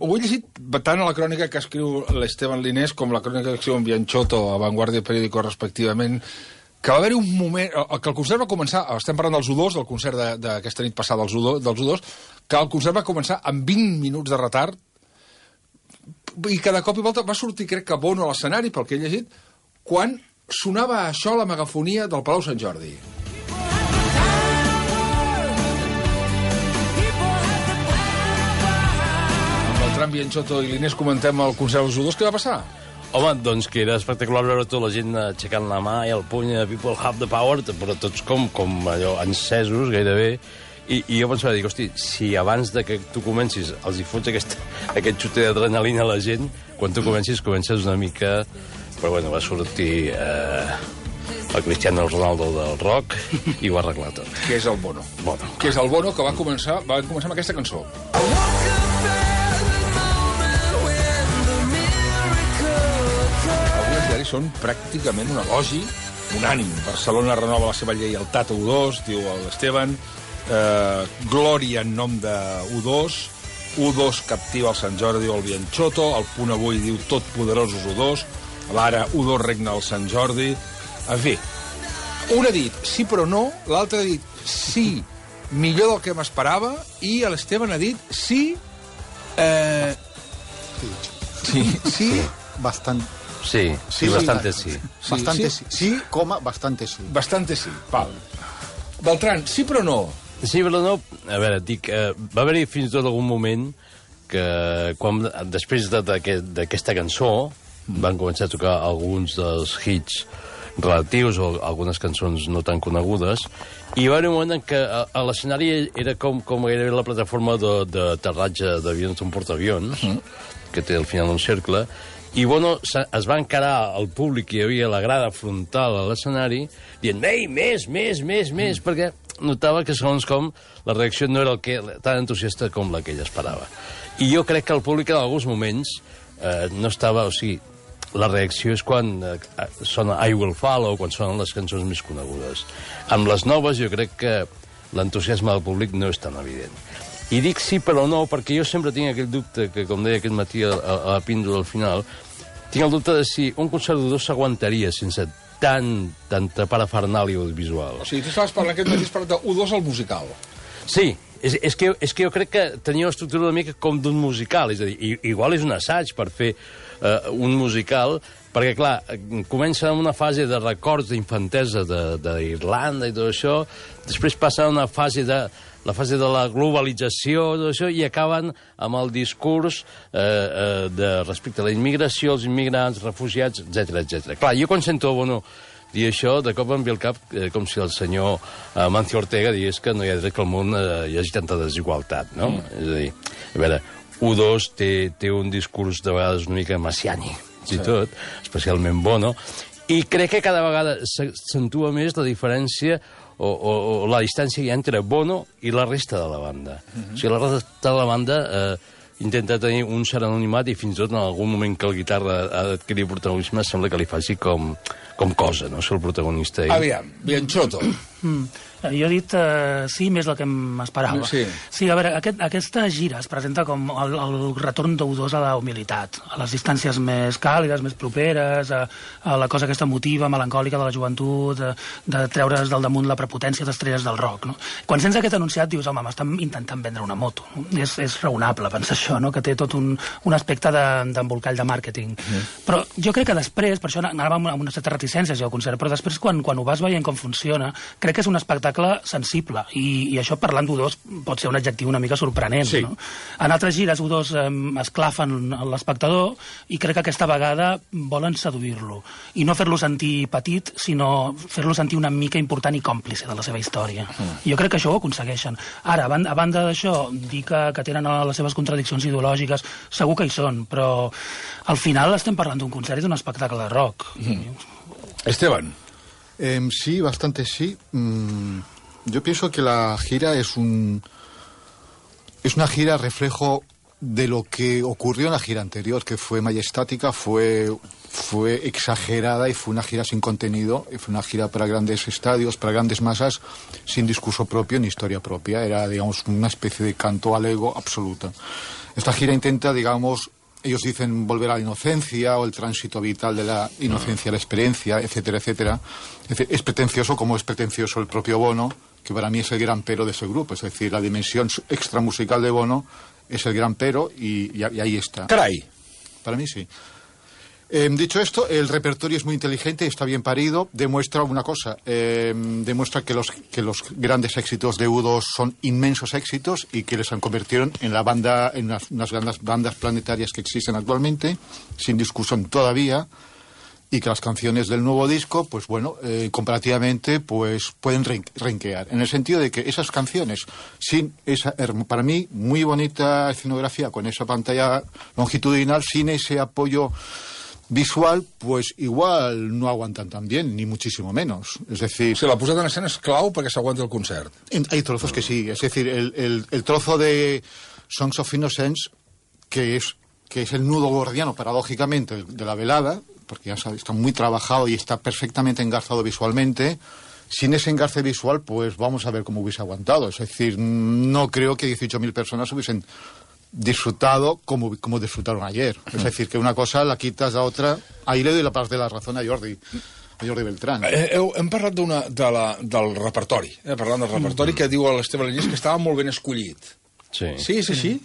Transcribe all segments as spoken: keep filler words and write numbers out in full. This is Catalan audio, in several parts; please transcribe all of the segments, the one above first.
Ho he llegit tant a la crònica que escriu l'Esteban Linés com la crònica que escriu en Bianchotto a Vanguardia Periódico, respectivament, que va haver-hi un moment... que el concert va començar... Estem parlant dels U dos, del concert d'aquesta nit passada dels U dos, que el concert va començar amb vint minuts de retard i cada cop i volta va sortir, crec que Bono a l'escenari, pel que he llegit, quan sonava això a la megafonia del Palau Sant Jordi. Amb Bianchotto i l'Inés comentem el concert dels U dos. Què va passar? Home, doncs que era espectacular veure tota la gent aixecant la mà i el puny de People Have the Power, però tots com, com allò encesos, gairebé. I, i jo pensava, dic, hosti, si abans de que tu comencis els hi fots aquest, aquest xuter d'adrenalina a la gent, quan tu comencis, comences una mica... Però bueno, va sortir eh, el Cristiano Ronaldo del rock i ho va arreglar tot. Què és el Bono? Bono. Què és el Bono, que va començar, va començar amb aquesta cançó. Són pràcticament un elogi unànim. Barcelona renova la seva lleialtat a U dos, diu l'Esteban, eh, glòria en nom de U dos, U dos captiva el Sant Jordi o el Bianchotto, el Punt Avui diu tot poderosos U dos, l'ara U dos regna el Sant Jordi. En fi, un ha dit sí però no, l'altre ha dit sí, millor del que m'esperava, i l'Esteban ha dit sí... Eh... Sí, sí, sí, bastant... Sí, sí, sí, bastante sí. sí. Bastante sí. Sí, sí, coma, bastante sí. Bastante sí, val. Beltrán, sí però no? Sí però no, a veure, dic, eh, va haver-hi fins i tot algun moment que quan, després d'aquesta cançó van començar a tocar alguns dels hits relatius o algunes cançons no tan conegudes, i va haver un moment en què a, a l'escenari era com, com era la plataforma d'aterratge d'avions d'un portaavions, mm. que té al final un cercle, i Bono es va encarar al públic que hi havia a la grada frontal a l'escenari dient, ei, més, més, més, més, mm. perquè notava que segons com la reacció no era el que, tan entusiasta com la que ell esperava. I jo crec que el públic en alguns moments eh, no estava, o sigui, la reacció és quan eh, sona I Will Follow, quan sonen les cançons més conegudes. Amb les noves jo crec que l'entusiasme del públic no és tan evident. I dic sí però no, perquè jo sempre tinc aquell dubte, que com deia aquest matí a, a, a la píndola al final, tinc el dubte de si un concert d'U dos s'aguantaria sense tant, tanta parafernàlia audiovisual. O sigui, tu estaves parlant aquest matí, has parlat d'U dos al musical. Sí, és, és, que, és que jo crec que tenia una estructura una mica com d'un musical, és a dir, igual és un assaig per fer uh, un musical, perquè, clar, comença amb una fase de records d'infantesa d'Irlanda i tot això, després passa a una fase de la fase de la globalització, tot això, i acaben amb el discurs eh, eh, de respecte a la immigració, els immigrants, refugiats, etcètera, etcètera. Clar, jo quan sento Bono dir això, de cop em ve al cap eh, com si el senyor eh, Mancio Ortega digués que no hi ha dret que al món eh, hi hagi tanta desigualtat, no? Mm. És a dir, a veure, U dos té, té un discurs de vegades una mica messiànic, i sí. tot, especialment Bono, i crec que cada vegada s'accentua més la diferència o, o, o la distància hi ha entre Bono i la resta de la banda. Mm-hmm. O sigui, la resta de la banda eh, intenta tenir un cert anonimat i fins i tot en algun moment que el guitarra ha d'adquirir protagonisme sembla que li faci com, com cosa, no? Ser el protagonista. Ell. Aviam, Bianchotto. Mm. Jo he dit uh, sí més del que m'esperava. Sí. sí, a veure, aquest, aquesta gira es presenta com el, el retorn d'U dos a la humilitat, a les distàncies més càlides, més properes, a, a la cosa aquesta emotiva, melancòlica de la joventut, de, de treure's del damunt la prepotència d'estrelles del rock. No? Quan sents aquest anunciat dius, home, m'estan intentant vendre una moto. No? És, és raonable pensar això, no? Que té tot un, un aspecte d'embolcall de, de màrqueting. Mm. Però jo crec que després, per això anava amb una certa reticència al concert, però després quan, quan ho vas veient com funciona, crec que és un espectacle sensible, i, i això parlant d'U dos pot ser un adjectiu una mica sorprenent. Sí. No? En altres gires U dos eh, esclafen l'espectador i crec que aquesta vegada volen seduir-lo i no fer-lo sentir petit, sinó fer-lo sentir una mica important i còmplice de la seva història. Mm. Jo crec que això ho aconsegueixen. Ara, a banda, a banda d'això, dir que, que tenen les seves contradiccions ideològiques, segur que hi són, però al final estem parlant d'un concert i d'un espectacle de rock. Mm. Esteban. Eh, sí, bastante sí. Mm, yo pienso que la gira es un es una gira reflejo de lo que ocurrió en la gira anterior, que fue majestática, fue fue exagerada y fue una gira sin contenido, y fue una gira para grandes estadios, para grandes masas, sin discurso propio ni historia propia. Era, digamos, una especie de canto al ego absoluta. Esta gira intenta, digamos, ellos dicen volver a la inocencia o el tránsito vital de la inocencia a la experiencia, etcétera, etcétera. Es decir, es pretencioso como es pretencioso el propio Bono, que para mí es el gran pero de ese grupo. Es decir, la dimensión extramusical de Bono es el gran pero y, y, y ahí está. Caray. Para mí sí. Eh, dicho esto, el repertorio es muy inteligente, está bien parido, demuestra una cosa, eh, demuestra que los, que los grandes éxitos de U dos son inmensos éxitos y que les han convertido en la banda, en unas, unas grandes bandas planetarias que existen actualmente, sin discusión todavía, y que las canciones del nuevo disco, pues bueno, eh, comparativamente, pues pueden renquear, en el sentido de que esas canciones, sin esa, para mí, muy bonita escenografía, con esa pantalla longitudinal, sin ese apoyo visual, pues igual no aguantan tan bien, ni muchísimo menos. Es decir... O sigui, la posada en escena és clau perquè s'aguanta el concert. Hay trozos que sí. Es decir, el, el, el trozo de Songs of Innocence, que es, que es el nudo gordiano, paradójicamente, de la velada, porque ya sabes, está muy trabajado y está perfectamente engarzado visualmente. Sin ese engarce visual, pues vamos a ver cómo hubiese aguantado. Es decir, no creo que dieciocho mil personas hubiesen disfrutado como, como disfrutaron ayer. Es decir, que una cosa la quitas a otra. Ahí le doy la parte de la razón a Jordi, a Jordi Beltrán. Eh, heu, hem parlat una, de la, del repertori, eh, parlant del repertori, que diu l'Esteve Lallés que estava molt ben escollit. Sí. Sí, és així?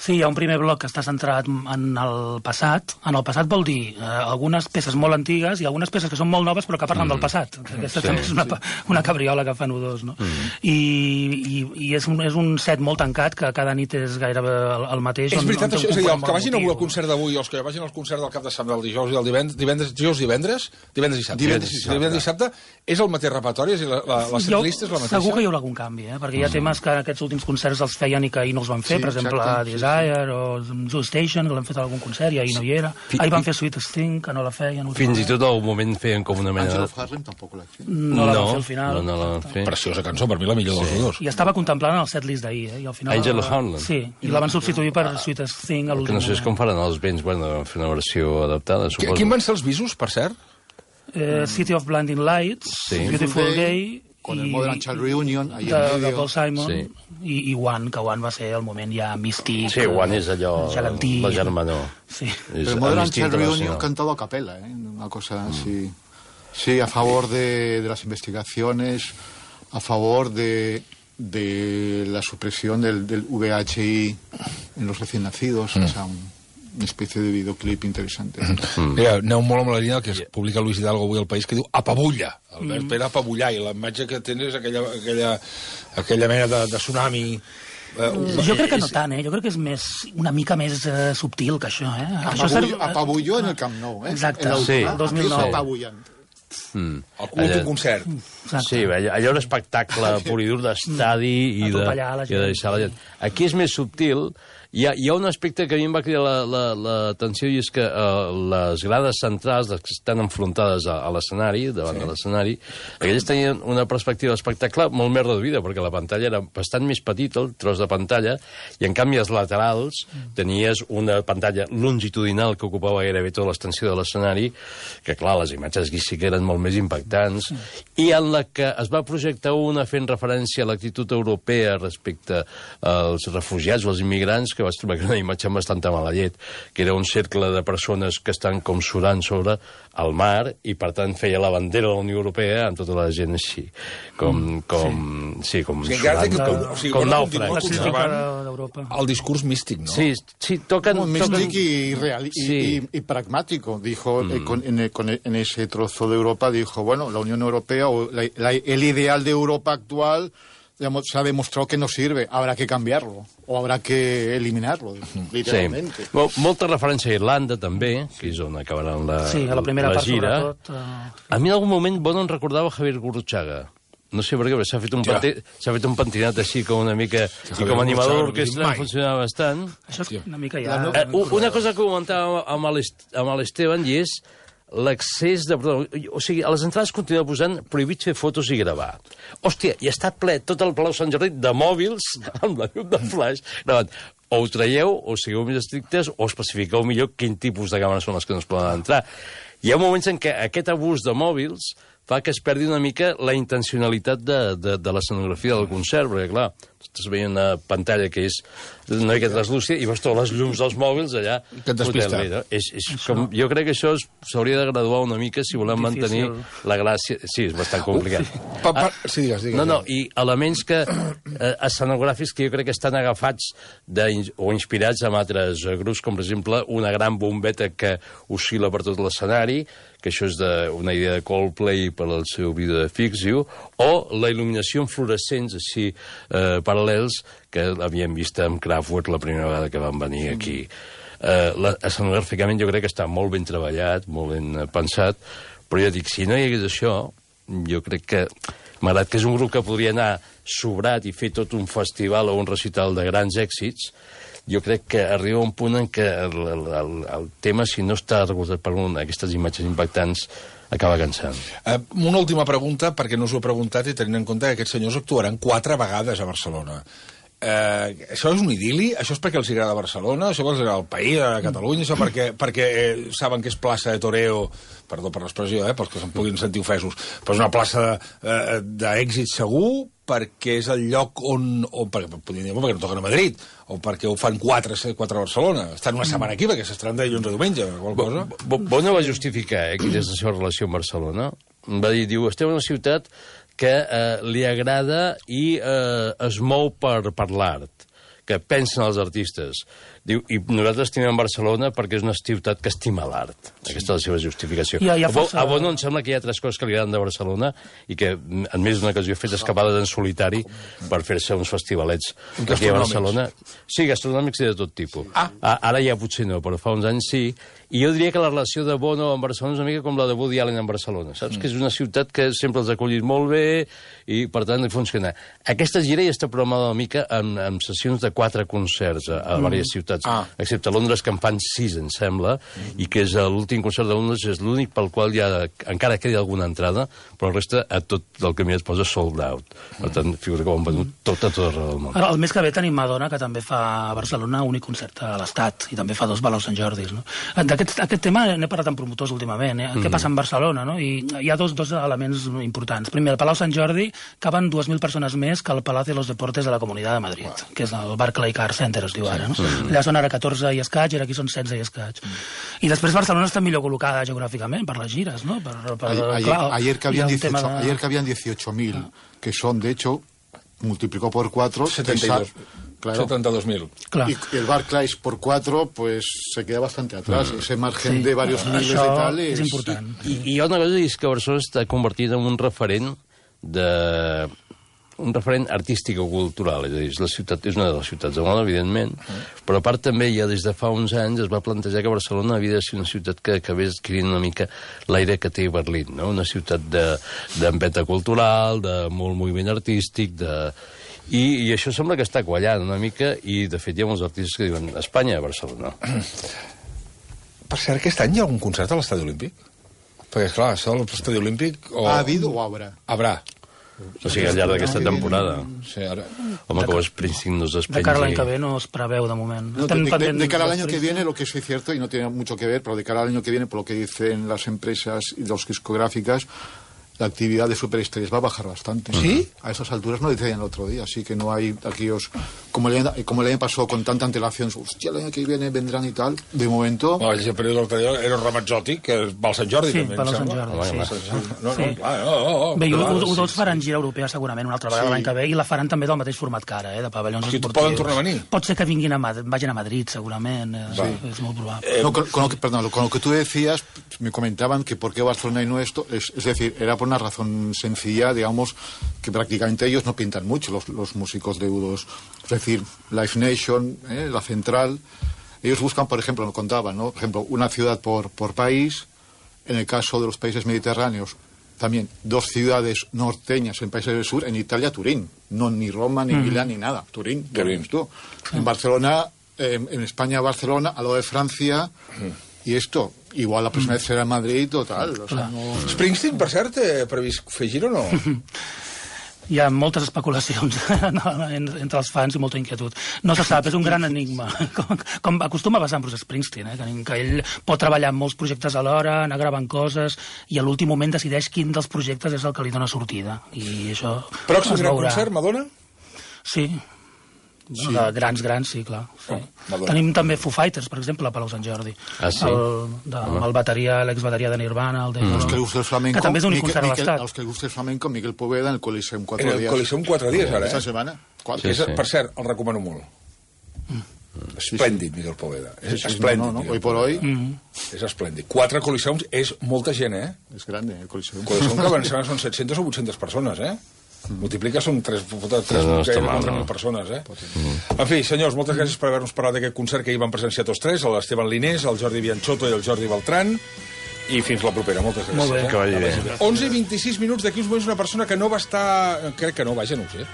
Sí, hi ha un primer bloc que està centrat en el passat. En el passat vol dir eh, algunes peces molt antigues i algunes peces que són molt noves però que parlen mm. del passat. Aquesta sí, també és una, sí. una cabriola que fan U dos, no? Mm. I, i, i és, un, és un set molt tancat, que cada nit és gairebé el, el mateix. És veritat, on, on això, és a dir, els que vagin motiu. al concert d'avui, els que vagin al concert del cap de setmana, del dijous i del divendres, divendres, dijous, divendres, divendres i sabte. Divendres i sabte. Divendres i sabte és el mateix repertori, és a dir, la, la, la setlist és la mateixa. Segur que hi haurà algun canvi, eh? Perquè hi ha mm. temes que aquests últims concerts els feien i que ahir no els van fer, sí, per exemple, exacte, Desire sí, sí. o Zoo Station, que l'han fet a algun concert i ahir no hi era. Ahir van fer Sweetest Thing, que no la feien. Fins i tot al moment feien com una mena... Angel of Harlem tampoc l'ha fet. No la van fer al final. No, no la van fer. Preciosa cançó, per mi la millor dels dos. I estava contemplant el setlist d'ahir, eh? I al final... Angel of Harlem? Sí, i la van substituir per Sweetest Thing a l'últim Que no sé com faran els vents, bueno, van fer una versió adaptada, suposo. Quin van ser els visos, per cert? Eh, City of Blinding Lights, sí. Beautiful Day... Con el Modern Child Reunion, ahí de, en medio. de Paul Simon, sí. i, i One, que One va ser el moment ja místic. Sí, One és allò, gegantí. la germanor. Sí. Pero el Modern Child Reunion cantado a capella, ¿eh? Una cosa así. Mm. Sí, a favor de, de las investigaciones, a favor de, de la supresión del, del V H I en los recién nacidos, mm. o sea, un, una especie de videoclip interesante. Mm. Mira, aneu molt amb la línia que es publica Luis Hidalgo avui al País, que diu apabulla. El verb mm. era apabullar, i la imatge que tens és aquella, aquella, aquella mena de, de tsunami. Uh, jo crec que no tant, eh? Jo crec que és més, una mica més uh, subtil que això, eh? Apabulló, això ser... apabulló en el Camp Nou, eh? Exacte, en el, sí. el dos mil nou. Apabullant. Mm. El cul d'un concert. Exacte. Sí, allò, allò un espectacle pur i dur d'estadi i, de, i de deixar la gent. Aquí és més subtil. Hi ha, hi ha un aspecte que a mi em va cridar l'atenció la, la, i és que uh, les grades centrals, les que estan enfrontades a, a l'escenari, davant sí. de l'escenari, aquelles tenien una perspectiva d'espectacle molt més reduïda, perquè la pantalla era bastant més petita, el tros de pantalla, i en canvi als laterals tenies una pantalla longitudinal que ocupava gairebé tota l'extensió de l'escenari, que clar, les imatges aquí sí que eren molt més impactants, i en la que es va projectar una fent referència a l'actitud europea respecte als refugiats o als immigrants, que vaig trobar que era una imatge amb bastanta mala llet, que era un cercle de persones que estan com surant sobre el mar i, per tant, feia la bandera de la Unió Europea amb tota la gent així, com, com, sí. sí, com, o sigui, surant, que, com, o sigui, com bueno, nàufrags. El discurs místic, ¿no? Sí, sí, tocan... Como místic tocan... y, real, y, sí. y, y pragmático, dijo, mm. eh, con, en, con, en ese trozo de Europa, dijo, bueno, la Unión Europea, o la, la, el ideal de Europa actual, digamos, se ha demostrado que no sirve, habrá que cambiarlo, o habrá que eliminarlo, literalmente. Sí. Mol, molta referència a Irlanda, també, que és on acabaran la, sí, a la, primera la part, gira. Sobretot, uh... A mi en algun moment Bono em recordava Javier Gurruchaga. No sé per què, s'ha fet, un ja. fet un pentinat així com una mica... Sí, i com a animador d'orquestra funcionava bastant. Això és una mica ja... Uh, una cosa que comentava amb l'Esteban i és l'accés de... O sigui, a les entrades continua posant prohibit fer fotos i gravar. Hòstia, i està ple tot el Palau Sant Jordi de mòbils amb la llum de flash gravant. O ho traieu, o sigueu més estrictes, o especifiqueu millor quin tipus de càmeres són les que no es poden entrar. Hi ha moments en què aquest abús de mòbils fa que es perdi una mica la intencionalitat de, de, de l'escenografia del concert, perquè, clar, estàs veient una pantalla que és una mica translúcida i veus totes les llums dels mòbils allà. Que et despista. No? És, és com, jo crec que això s'hauria de graduar una mica si volem mantenir la gràcia. Sí, és bastant complicat. Uh, pa, pa, sí, digues, digues. No, no, i elements que, eh, escenogràfics que jo crec que estan agafats de, o inspirats en altres grups, com per exemple una gran bombeta que oscil·la per tot l'escenari, que això és de, una idea de Coldplay per al seu vídeo de Fix You, o la il·luminació en fluorescents així eh, paral·lels que havíem vist amb Kraftwerk la primera vegada que van venir aquí. Eh, la, escenogràficament jo crec que està molt ben treballat, molt ben eh, pensat, però ja dic, si no hi hagués això, jo crec que, malgrat que és un grup que podria anar sobrat i fer tot un festival o un recital de grans èxits, jo crec que arriba un punt en què el, el, el, el tema, si no està recolzat per un, aquestes imatges impactants, acaba cansant. Uh, una última pregunta, perquè no us ho he preguntat i tenint en compte que aquests senyors actuaran quatre vegades a Barcelona. Uh, això és un idili? Això és perquè els agrada Barcelona? Això perquè els agrada el país, a Catalunya? Això perquè, perquè eh, saben que és plaça de toreo, perdó per l'expressió, eh, pels que se'n puguin sentir ofesos, però és una plaça eh, d'èxit segur, perquè és el lloc on, on perquè, podríem dir, perquè no toquen a Madrid, o perquè ho fan quatre, quatre a Barcelona. Estan una setmana aquí, perquè s'estaran de dilluns a diumenge, o qualsevol cosa. Bono va justificar, eh, quina és la seva relació amb Barcelona. Va dir, diu, estem en una ciutat que eh, li agrada i eh, es mou per, per l'art, que pensen els artistes. Diu, i nosaltres estimem Barcelona perquè és una ciutat que estima l'art. Sí. Aquesta és la seva justificació. Ja, ja força... A Bono em sembla que hi ha tres coses que li agraden de Barcelona i que en més d'una ocasió ha fet escapades en solitari per fer-se uns festivalets aquí a Barcelona. Sí, gastronòmics i de tot tipus. Ah. Ara ja potser no, però fa uns anys sí. I jo diria que la relació de Bono amb Barcelona és una mica com la de Woody Allen amb Barcelona. Saps? Mm. Que és una ciutat que sempre els ha acollit molt bé i, per tant, funciona. Aquesta gira ja està programada una mica amb, amb sessions de quatre concerts a, a mm. diverses ciutats, ah. excepte a Londres, que en fan sis, em sembla, mm. i que és l'últim concert de Londres, és l'únic pel qual ja encara queda alguna entrada, però el resta a tot el camí es posa sold out. Per tant, figura que ho han venut tot a tot arreu del món. El mes que ve tenim Madonna, que també fa a Barcelona únic concert a l'Estat, i també fa dos Palau Sant Jordis. No? Aquest, aquest tema n'he parlat amb promotors últimament, eh? Mm. Què passa en Barcelona, no? I hi ha dos, dos elements importants. Primer, el Palau Sant Jordi caben dues mil persones més que el Palacio de los Deportes de la Comunitat de Madrid, wow. que és el Barclay Car Center, es diu ara. No? Mm. Allà són ara catorze i escaig, i aquí són setze i escaig. Mm. I després Barcelona està millor col·locada geogràficament per les gires, no? Per, per, ayer, clar, ayer, que habían dieciocho, de... ayer que habían dieciocho mil, ah. que son, de hecho, multiplicó por cuatro... setenta y dos. Claro. setenta y dos mil. Claro. Y el Barclays por cuatro, pues se queda bastante atrás. Mm. Ese margen sí. de varios miles Això de tal és... és important. I, I hi ha una cosa, és que Barcelona està convertida en un referent de... un referent artístic o cultural, és a dir, és, la ciutat, és una de les ciutats del món, evidentment, mm. però a part també ja des de fa uns anys es va plantejar que Barcelona havia de ser una ciutat que acabés adquirint una mica l'aire que té Berlín, no? Una ciutat d'empenta cultural, de molt moviment artístic, de... I, I això sembla que està quallant una mica, i de fet hi ha molts artistes que diuen Espanya a Barcelona. Per cert, aquest any hi ha algun concert a l'Estadi Olímpic? Perquè, clar, això de l'Estadi Olímpic... O... ¿Ha habido o habrá? Habrá. O sigui, al llarg d'aquesta temporada. Sí, ara... Home, que Springsteen no es despengi. De cara a l'any que ve no es preveu, de moment. No, de, de, de cara al año que viene, lo que es cierto, y no tiene mucho que ver, pero de cara al año que viene, por lo que dicen las empresas y los discográficas, la actividad de superestrellas va a bajar bastante. ¿Sí? A esas alturas no decían el otro día, así que no hay aquellos... Como el, año, como el año pasó con tanta antelación, hostia, el año que viene vendrán y tal, de momento... No, el període l'altre dia era un Ramazzotti, que va al Sant Jordi, sí, també, em sembla. Sí, sí. sí. No, no, sí. clar, no, no, no. Bé, U dos faran gira europea segurament una altra vegada sí. l'any que ve, i la faran també del mateix format que ara, eh, de pavellons Aquí esportius. Poden tornar a venir? Pot ser que vinguin a Madrid, vagin a Madrid, segurament, eh, sí, és molt probable. Eh, no, con, con, lo que, perdón, con lo que tú decías, me comentaban que por qué Barcelona y no esto, es, es decir, era por una razón sencilla, digamos, que prácticamente ellos no pintan mucho, los, los músicos de U dos. Es decir, Live Nation, eh, la central, ellos buscan, por ejemplo, lo contaban, ¿no? Por ejemplo, una ciudad por, por país. En el caso de los países mediterráneos, también dos ciudades norteñas en países del sur, en Italia, Turín. No ni Roma, ni mm. Milán, ni nada. Turín, Turín. Tú. Sí. En Barcelona, eh, en España, Barcelona, al lado de Francia... Mm. I esto, igual la próxima vez serà a Madrid o tal. O sea, no... Springsteen, per cert, té previst fer gira o no? Hi ha moltes especulacions entre els fans i molta inquietud. No se sap, és un gran enigma. Com, com acostuma a passar amb Bruce Springsteen, eh? que ell pot treballar en molts projectes alhora, anar gravant coses, i a l'últim moment decideix quin dels projectes és el que li dona sortida. I això Pròxim gran concert, Madonna? Sí. Sí. De grans, grans, sí, clar. Sí. Oh, tenim també Foo Fighters, per exemple, a Palau Sant Jordi. Ah, sí? El, de, amb el bateria, l'exbateria de Nirvana, el de... Mm. Els que li gusta el flamenco... Que també és un concert a l'Estat. Els que li gusta el flamenco, Miguel Poveda, en el Coliseum quatre dies. En el Coliseum quatre dies, ara, eh? Esta setmana. Sí, sí. Per cert, el recomano molt. Mm. Esplèndid, Miguel Poveda. És sí, sí, esplèndid. No, no, no. Hoy por hoy... Mm. És esplèndid. Quatre Coliseums és molta gent, eh? És grande, el Coliseum. El Coliseum que abans són set-centes o vuit-centes persones, eh? Multiplica, són tres mil persones, eh? Mm. En fi, senyors, moltes gràcies per haver-nos parlat d'aquest concert que hi van presenciar tots tres, l'Esteban Linés, el Jordi Bianchotto i el Jordi Beltrán, i fins la propera. Moltes gràcies. Molt bé. Eh? Que vagi bé. onze i vint-i-sis minuts, d'aquí uns moments una persona que no va estar... Crec que no, vaja, no ho sé.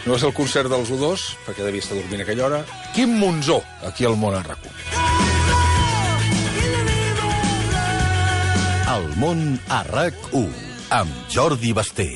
No va ser el concert dels U dos, perquè devia estar dormint a aquella hora. Quim Monzó, aquí al Món en RAC u. El Món a RAC u, amb Jordi Basté.